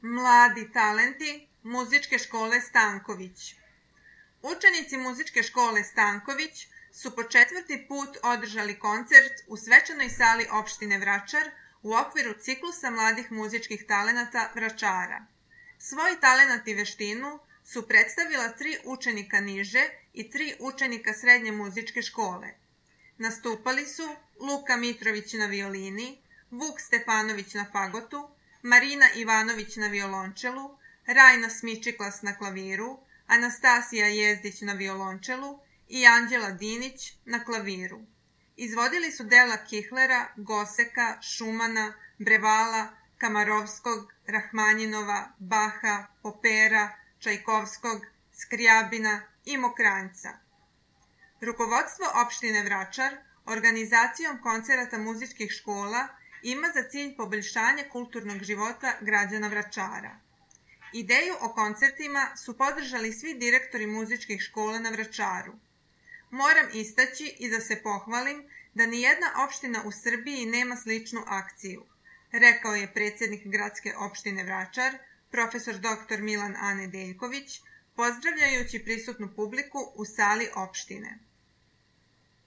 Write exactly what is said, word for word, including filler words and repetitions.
Mladi talenti Muzičke škole Stanković. Učenici Muzičke škole Stanković su po četvrti put održali koncert u svečanoj sali opštine Vračar u okviru ciklusa mladih muzičkih talenata Vračara. Svoj talenat i veštinu su predstavila tri učenika niže i tri učenika srednje muzičke škole. Nastupali su Luka Mitrović na violini, Vuk Stefanović na fagotu, Marina Ivanović na violončelu, Rajna Smičiklas na klaviru, Anastasija Jezdić na violončelu i Anđela Dinić na klaviru. Izvodili su dela Kihlera, Goseka, Šumana, Brevala, Kamarovskog, Rahmanjinova, Baha, Popera, Čajkovskog, Skrijabina i Mokranjca. Rukovodstvo opštine Vračar organizacijom koncerata muzičkih škola ima za cilj poboljšanje kulturnog života građana Vračara. Ideju o koncertima su podržali svi direktori muzičkih škola na Vračaru. Moram istaći i da se pohvalim da nijedna opština u Srbiji nema sličnu akciju, rekao je predsjednik gradske opštine Vračar, profesor doktor Milan Anedeljković, pozdravljajući prisutnu publiku u sali opštine.